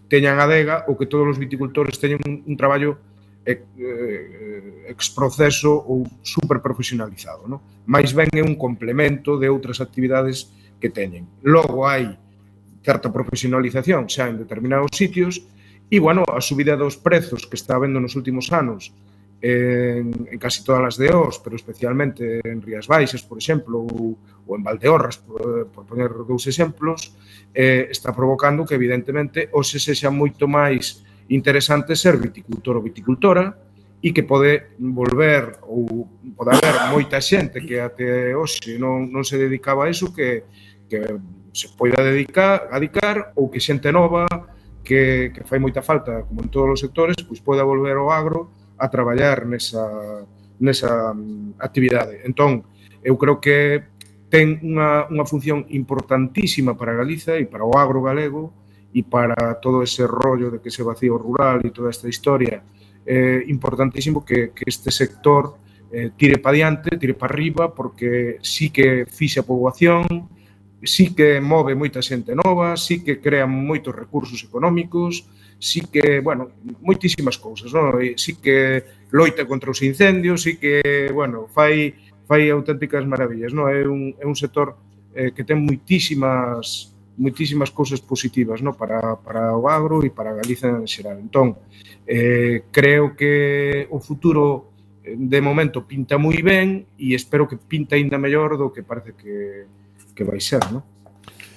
teñan adega ou que todos os viticultores teñan un traballo exproceso ou super profesionalizado, non? Mais ben é un complemento de outras actividades que teñen. Logo hai certa profesionalización xa en determinados sitios e, bueno, a subida dos prezos que está habendo nos últimos anos en casi todas as DOs, pero especialmente en Rías Baixas, por exemplo, ou en Valdeorras, por poner dous exemplos, está provocando que, evidentemente, hoxe sexa moito máis interesante ser viticultor ou viticultora e que pode volver, ou pode haber moita xente que até hoxe non se dedicaba a iso, que se poida dedicar, ou que xente nova, que fai moita falta, como en todos os sectores, pois poida volver ao agro a traballar nesa actividade. Entón, eu creo que ten unha función importantísima para Galiza e para o agro galego e para todo ese rollo de que se vacío rural e toda esta historia. Importantísimo que este sector tire para diante, tire para arriba, porque sí que fixa poboación, sí que move moita xente nova, sí que crea moitos recursos económicos, sí que, bueno, moitísimas cousas, non? E sí que loita contra os incendios, sí que, bueno, fai auténticas maravillas, non? É un sector que ten moitísimas cousas positivas, non? Para o agro e para Galiza en xeral. Entón, creo que o futuro de momento pinta moi ben e espero que pinta ainda mellor do que parece que vai ser, non?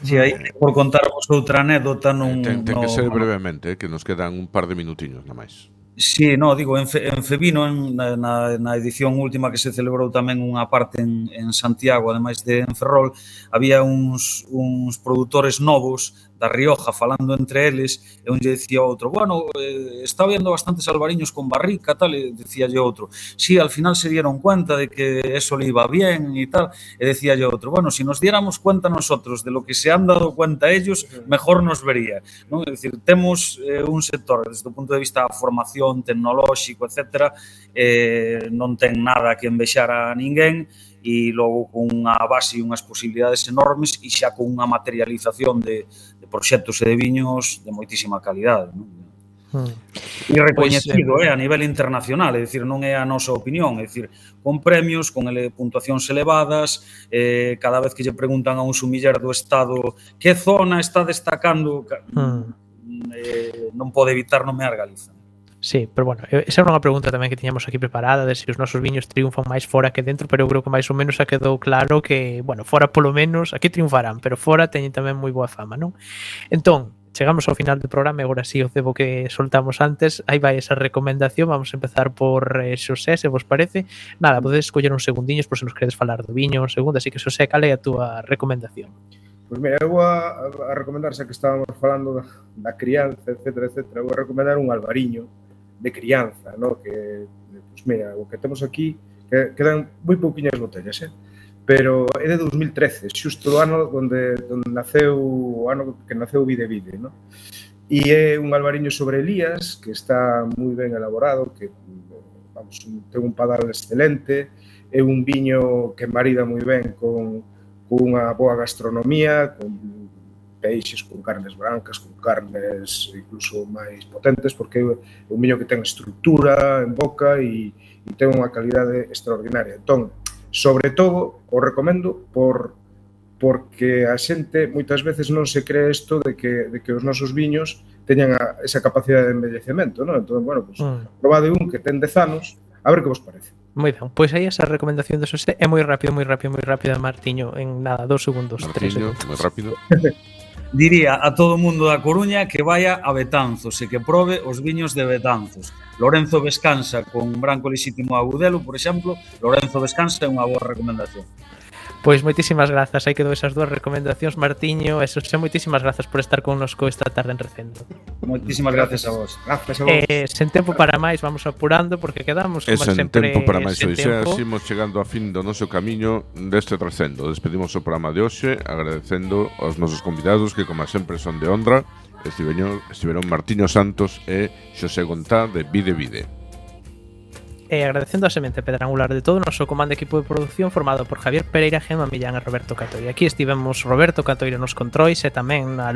Si aí, por contarvos outra anécdota Ten que ser brevemente, que nos quedan un par de minutiños na máis. Sí, no, digo, en Fevino, na edición última que se celebrou tamén unha parte en Santiago, ademais de en Ferrol, había uns produtores novos da Rioja falando entre eles, e un lle dicía outro, bueno, está vendo bastantes albariños con barrica, tal, e decíalle outro, sí, al final se dieron cuenta de que eso le iba bien e tal, e decíalle outro, bueno, si nos diéramos cuenta nosotros de lo que se han dado cuenta ellos, mejor nos vería, non? É dicir, temos un sector, desde o punto de vista da formación tecnolóxico, etcétera, non ten nada que envexar a ninguén, e logo con unha base e unhas posibilidades enormes e xa con unha materialización de proxectos e de viños de moitísima calidade, non? E recoñecido a nivel internacional, é dicir, non é a nosa opinión, é dicir, con premios, con puntuacións elevadas, cada vez que lle preguntan a un sumiller do Estado que zona está destacando, non pode evitar nomear Galiza. Sí, pero bueno, esa era unha pregunta tamén que tiñamos aquí preparada de se os nosos viños triunfan máis fora que dentro, pero eu creo que máis ou menos xa quedou claro que, bueno, fora polo menos, aquí triunfarán, pero fora teñen tamén moi boa fama, non? Entón, chegamos ao final do programa e agora sí o cebo que soltamos antes, aí vai esa recomendación, vamos a empezar por Xosé, se vos parece. Nada, podedes escoller uns segundiños por se nos queredes falar do viño, un segundo, así que Xosé, cal é a túa recomendación? Pois mira, eu vou a recomendar, xa que estábamos falando da crianza, etcétera, vou a recomendar un albariño de crianza, ¿no? Que, pues mira, o que temos aquí, que quedan moi pouquiñas botellas, pero é de 2013, xusto o ano onde naceu, o ano que naceu Vide Vide, ¿no? E é un albariño sobre Elías, que está moi ben elaborado, que, vamos, ten un padal excelente, é un viño que marida moi ben con unha boa gastronomía, con peixes, con carnes brancas, con carnes incluso máis potentes, porque é un viño que ten estructura en boca e ten unha calidade extraordinaria. Entón, sobre todo, o recomendo porque a xente moitas veces non se cree isto de que os nosos viños teñan esa capacidade de envellecemento, non? Entón, bueno, pues, probade un que ten 10 anos, a ver que vos parece. Moi ben, pois aí esa recomendación de Xosé é moi rápido, Martiño, en nada, 2 segundos, 3 segundos. Moi rápido. Diría a todo o mundo da Coruña que vaya a Betanzos e que probe os viños de Betanzos. Lorenzo Vescansa con Branco Lexítimo Agudelo, por exemplo, Lorenzo Vescansa é unha boa recomendación. Pois moitísimas grazas, aí quedou esas dúas recomendacións, Martiño, e Xosé, moitísimas grazas por estar connosco esta tarde en Recendo. Moitísimas gracias a vos. Gracias a vos. Sen tempo para máis, vamos apurando porque quedamos como sen sempre. Tempo para máis hoxe, imos chegando a fin do noso camiño deste Recendo. Despedimos o programa de hoxe agradecendo aos nosos convidados que, como sempre, son de honra. Estiveron Martiño Santos e Xosé Gontá de Vide Vide. E agradecendo a semente pedrangular de todo o noso comando equipo de produción formado por Javier Pereira, Gemma Millán e Roberto Catoira. Aquí estivemos Roberto Catoira nos controis e tamén a